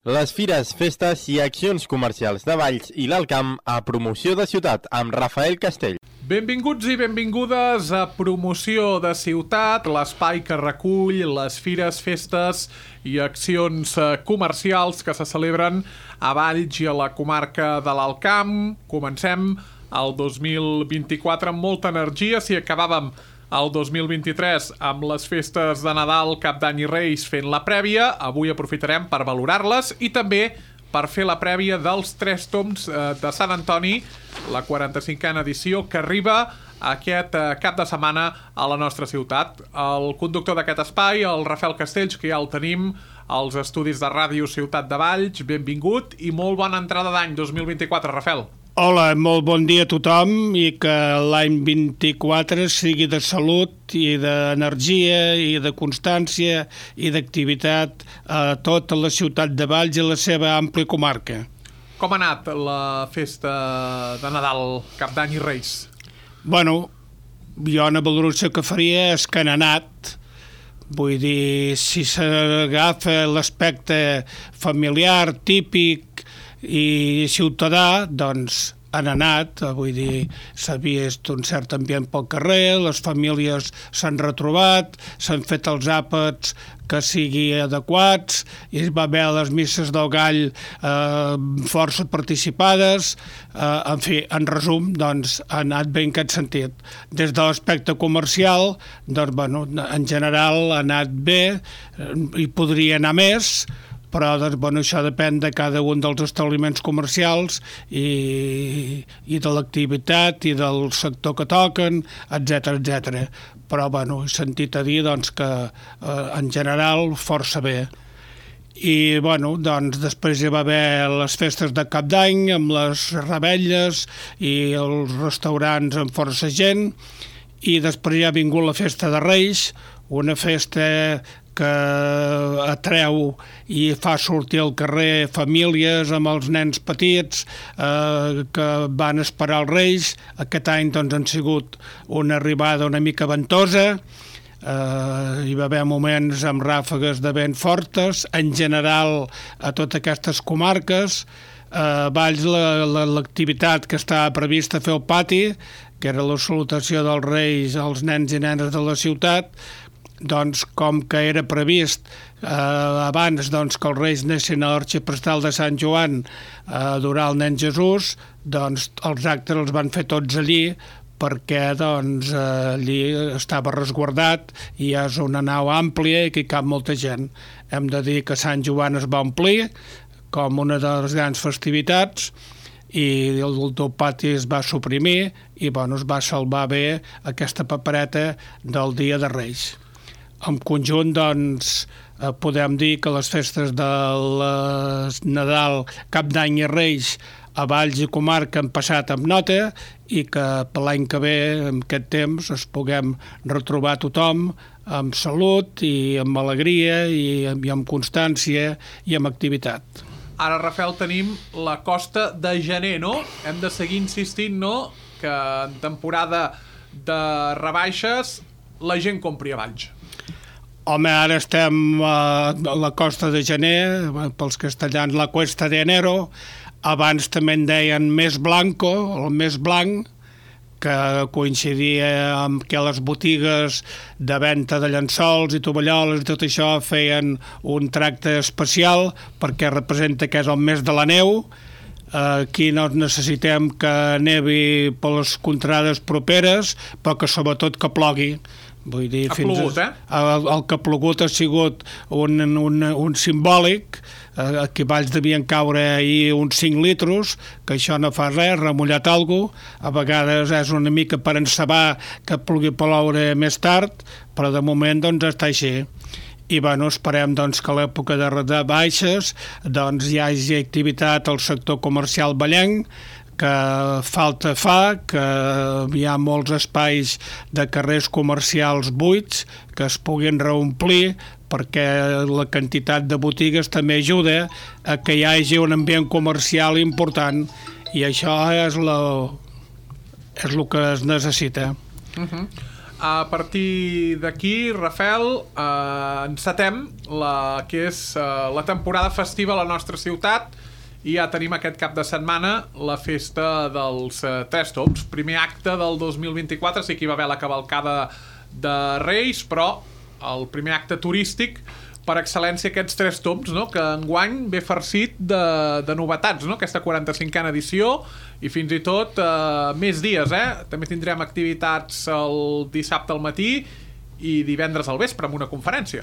Les fires, festes i accions comercials de Valls i l'Alt Camp a Promoció de Ciutat amb Rafael Castell. Benvinguts i benvingudes a Promoció de Ciutat, l'espai que recull les fires, festes i accions comercials que se celebren a Valls i a la comarca de l'Alt Camp. Comencem el 2024 amb molta energia. Si acabàvem el 2023 amb les festes de Nadal, Cap d'Any i Reis fent la prèvia, avui aprofitarem per valorar-les i també per fer la prèvia dels 3 toms de Sant Antoni, la 45a edició, que arriba aquest cap de setmana a la nostra ciutat. El conductor d'aquest espai, el Rafael Castells, que ja el tenim als estudis de Ràdio Ciutat de Valls, benvingut i molt bona entrada d'any 2024, Rafael. Hola, molt bon dia a tothom i que l'any 24 sigui de salut i d'energia i de constància i d'activitat a tota la ciutat de Valls i la seva àmplia comarca. Com ha anat la festa de Nadal, Cap d'Any i Reis? Bueno, jo una valoració que faria és que han anat. Vull dir, si s'agafa l'aspecte familiar, típic i ciutadà, doncs han anat, vull dir, s'ha vist un cert ambient pel carrer, les famílies s'han retrobat, s'han fet els àpats que sigui adequats, i va haver les misses del gall força participades, en fi, en resum, doncs ha anat bé en aquest sentit. Des de l'aspecte comercial, doncs, bueno, en general ha anat bé, i podria anar més, però doncs, bueno, això depèn de cada un dels establiments comercials i de l'activitat i del sector que toquen, etc. Però bueno, he sentit a dir doncs, que en general força bé. I bueno, doncs, després hi va haver les festes de Cap d'Any amb les revetlles i els restaurants amb força gent, i després ja ha vingut la festa de Reis, una festa que atreu i fa sortir al carrer famílies amb els nens petits que van esperar els Reis. Aquest any doncs, han sigut una arribada una mica ventosa, hi va haver moments amb ràfegues de vent fortes, en general a totes aquestes comarques. A Valls l'activitat que estava prevista fer al pati, que era la salutació dels Reis als nens i nenes de la ciutat, doncs, com que era previst abans doncs, que els Reis anessin a l'arxiprestal de Sant Joan a adorar el nen Jesús, doncs els actes els van fer tots allí, perquè doncs, allí estava resguardat i és una nau àmplia i que hi cap molta gent. Hem de dir que Sant Joan es va omplir com una de les grans festivitats i el teu pati es va suprimir i bueno, es va salvar bé aquesta papereta del dia de Reis. En conjunt, doncs, podem dir que les festes de Nadal, Cap d'Any i Reis a Valls i comarca han passat amb nota i que per l'any que ve, en aquest temps, es puguem retrobar tothom amb salut i amb alegria i amb constància i amb activitat. Ara, Rafael, tenim la costa de gener, no? Hem de seguir insistint, no?, que en temporada de rebaixes la gent compri a Valls. Home, ara estem a la costa de gener, pels castellans la Cuesta de Enero, abans també en deien Mes Blanco, el mes blanc, que coincidia amb que les botigues de venda de llençols i tovalloles i tot això feien un tracte especial perquè representa que és el mes de la neu. Aquí no necessitem que nevi per les contrades properes, però que sobretot que plogui. Vull dir, ha plogut, el que ha plogut ha sigut un simbòlic. Aquí a Valls devien caure ahir uns 5 litres, que això no fa res, remullat alguna cosa. A vegades és una mica per encebar que pugui ploure més tard, però de moment doncs està així. I bueno, esperem doncs, que a l'època de baixes doncs, hi hagi activitat al sector comercial vallenc, que falta fa, que hi ha molts espais de carrers comercials buits que es puguin reomplir, perquè la quantitat de botigues també ajuda a que hi hagi un ambient comercial important, i això és el que es necessita. a partir d'aquí, Rafael, encetem que és la temporada festiva a la nostra ciutat i ja tenim aquest cap de setmana la festa dels Tres Tombs. Primer acte del 2024, sí que hi va haver la cavalcada de Reis, però el primer acte turístic per excel·lència aquests Tres Tombs, no? Que enguany ve farcit de novetats, no? Aquesta 45a edició i fins i tot més dies, També tindrem activitats el dissabte al matí i divendres al vespre amb una conferència.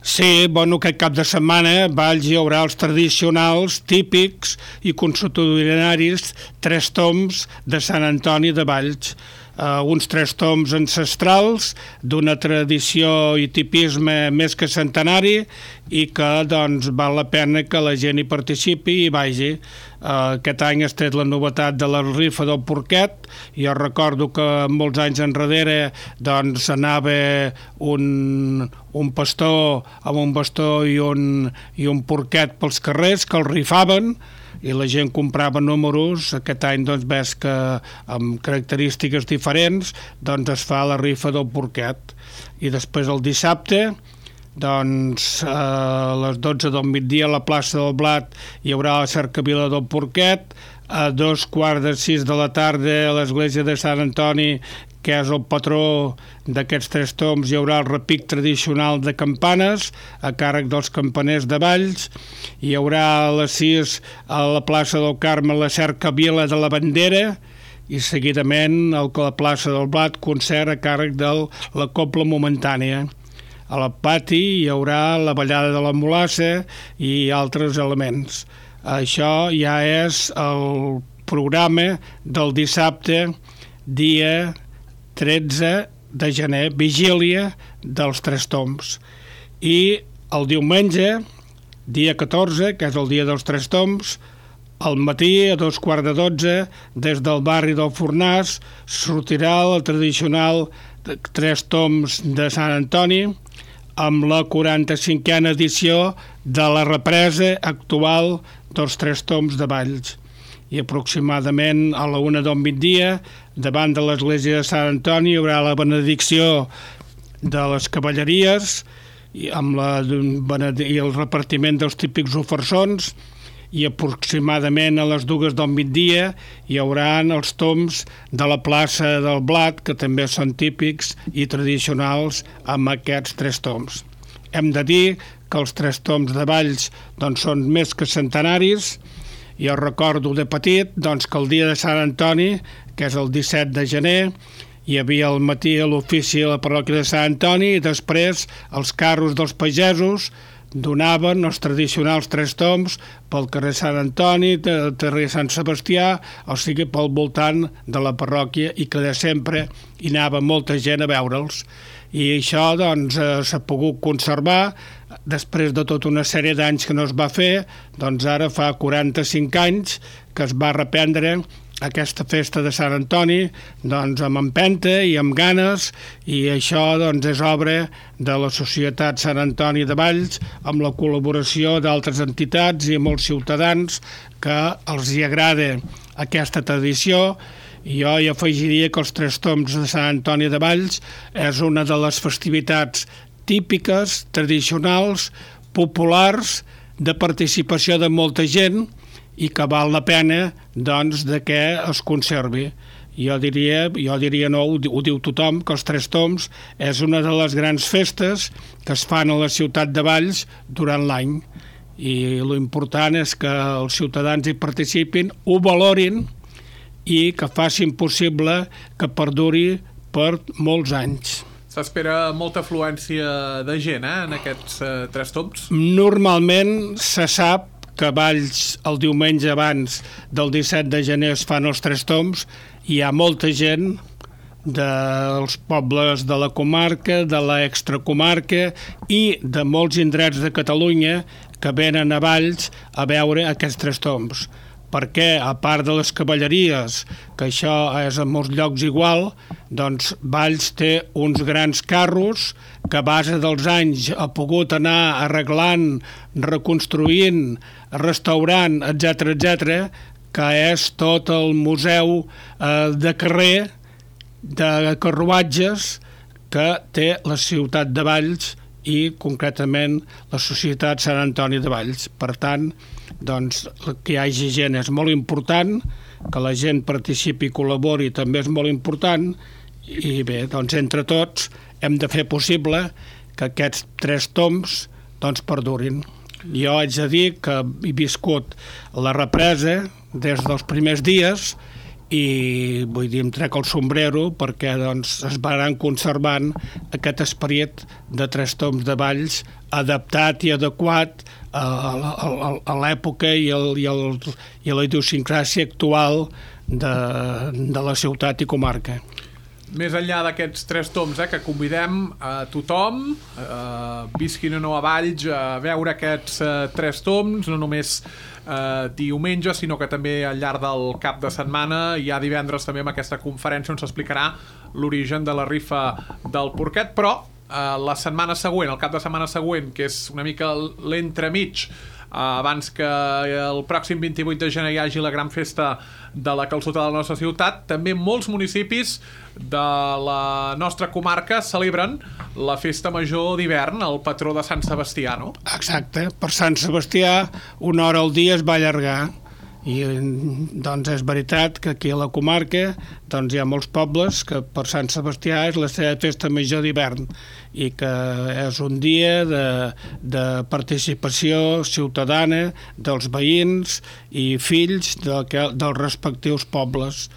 Sí, bueno, aquest cap de setmana a Valls hi haurà els tradicionals, típics i consuetudinaris Tres Tombs de Sant Antoni de Valls. Uns Tres Tombs ancestrals d'una tradició i tipisme més que centenari i que doncs, val la pena que la gent hi participi i vagi. Aquest any has tret la novetat de la rifa del porquet. Jo recordo que molts anys enrere doncs, anava un pastor amb un bastó i un porquet pels carrers que el rifaven i la gent comprava números. Aquest any doncs, ves que amb característiques diferents doncs, es fa la rifa del porquet. I després el dissabte doncs, a les 12 del migdia a la plaça del Blat hi haurà la cercavila del porquet. A 5:45 de la tarda a l'església de Sant Antoni, que és el patró d'aquests Tres Tombs, hi haurà el repic tradicional de campanes a càrrec dels campaners de Valls. Hi haurà a les 6 a la plaça del Carme la cercavila de la bandera i seguidament a la plaça del Blat concert a càrrec de la Cobla Momentània. A la pati hi haurà la ballada de la mulassa i altres elements. Això ja és el programa del dissabte, dia 13 de gener, vigília dels Tres Tombs. I el diumenge, dia 14, que és el dia dels Tres Tombs, al matí, a 11:45, des del barri del Fornàs, sortirà el tradicional Tres Tombs de Sant Antoni amb la 45a edició de la represa actual dels Tres Tombs de Valls. I aproximadament a la 1 del migdia, davant de l'església de Sant Antoni, hi haurà la benedicció de les cavalleries i el repartiment dels típics ofersons, i aproximadament a les 2 del migdia hi haurà els tombs de la plaça del Blat, que també són típics i tradicionals amb aquests Tres Tombs. Hem de dir que els Tres Tombs de Valls doncs, són més que centenaris. Jo recordo de petit doncs, que el dia de Sant Antoni, que és el 17 de gener, hi havia al matí a l'ofici a la parròquia de Sant Antoni i després els carros dels pagesos donaven els tradicionals Tres Tombs pel carrer Sant Antoni, el carrer Sant Sebastià, o sigui pel voltant de la parròquia, i que de sempre hi anava molta gent a veure'ls. I això doncs, s'ha pogut conservar després de tota una sèrie d'anys que no es va fer. Doncs ara fa 45 anys que es va reprendre aquesta festa de Sant Antoni doncs, amb empenta i amb ganes, i això doncs, és obra de la Societat Sant Antoni de Valls amb la col·laboració d'altres entitats i molts ciutadans que els hi agrada aquesta tradició. Jo hi afegiria que els Tres Tombs de Sant Antoni de Valls és una de les festivitats típiques, tradicionals, populars, de participació de molta gent i que val la pena doncs, de que es conservi. Jo diria no, ho diu tothom, que els Tres Tombs és una de les grans festes que es fan a la ciutat de Valls durant l'any, i l'important és que els ciutadans hi participin, ho valorin i que facin possible que perduri per molts anys. S'espera molta afluència de gent en aquests Tres Tombs? Normalment se sap que a Valls el diumenge abans del 17 de gener es fan els Tres Tombs. Hi ha molta gent dels pobles de la comarca, de l'extracomarca i de molts indrets de Catalunya que venen a Valls a veure aquests Tres Tombs. Perquè, a part de les cavalleries, que això és a molts llocs igual, doncs Valls té uns grans carros que a base dels anys ha pogut anar arreglant, reconstruint, restaurant, etc., que és tot el museu de carrer de carruatges que té la ciutat de Valls i concretament la Societat Sant Antoni de Valls. Per tant, doncs, que hi hagi gent és molt important, que la gent participi i col·labori també és molt important, i bé, doncs entre tots hem de fer possible que aquests 3 toms doncs perdurin. Jo haig de dir que he viscut la represa des dels primers dies i vull dir, em trec el sombrero perquè doncs, es van conservant aquest esperit de 3 toms de Valls adaptat i adequat a l'època i a la idiosincràsia actual de la ciutat i comarca. Més enllà d'aquests 3 toms, que convidem a tothom, visquin o no a Valls, a veure aquests 3 toms, no només diumenge, sinó que també al llarg del cap de setmana, i ja divendres també amb aquesta conferència on s'explicarà l'origen de la rifa del porquet, però la setmana següent, el cap de setmana següent, que és una mica l'entremig, abans que el pròxim 28 de gener hi hagi la gran festa de la calçotada de la nostra ciutat, també molts municipis de la nostra comarca celebren la festa major d'hivern, el patró de Sant Sebastià, no? Exacte, per Sant Sebastià 1 hora al dia es va allargar i doncs és veritat que aquí a la comarca doncs hi ha molts pobles que per Sant Sebastià és la seva festa major d'hivern i que és un dia de participació ciutadana dels veïns i fills dels respectius pobles.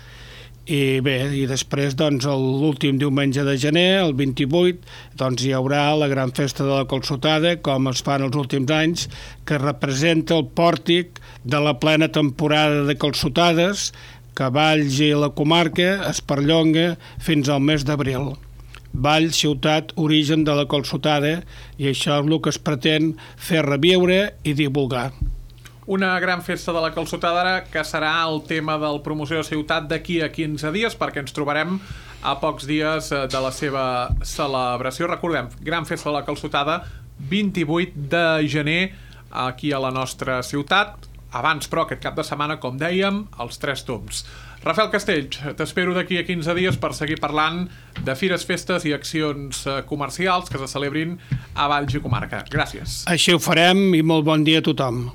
I bé, i després doncs l'últim diumenge de gener, el 28, doncs hi haurà la gran festa de la calçotada, com es fan els últims anys, que representa el pòrtic de la plena temporada de calçotades que Valls i la comarca es perllonga fins al mes d'abril. Valls, ciutat, origen de la calçotada, i això és el que es pretén fer reviure i divulgar. Una gran festa de la calçotada que serà el tema del promoció de ciutat d'aquí a 15 dies, perquè ens trobarem a pocs dies de la seva celebració. Recordem, gran festa de la calçotada, 28 de gener aquí a la nostra ciutat. Abans, però, aquest cap de setmana, com dèiem, els 3 toms. Rafael Castells, t'espero d'aquí a 15 dies per seguir parlant de fires, festes i accions comercials que se celebrin a Valls i comarca. Gràcies. Així ho farem i molt bon dia a tothom.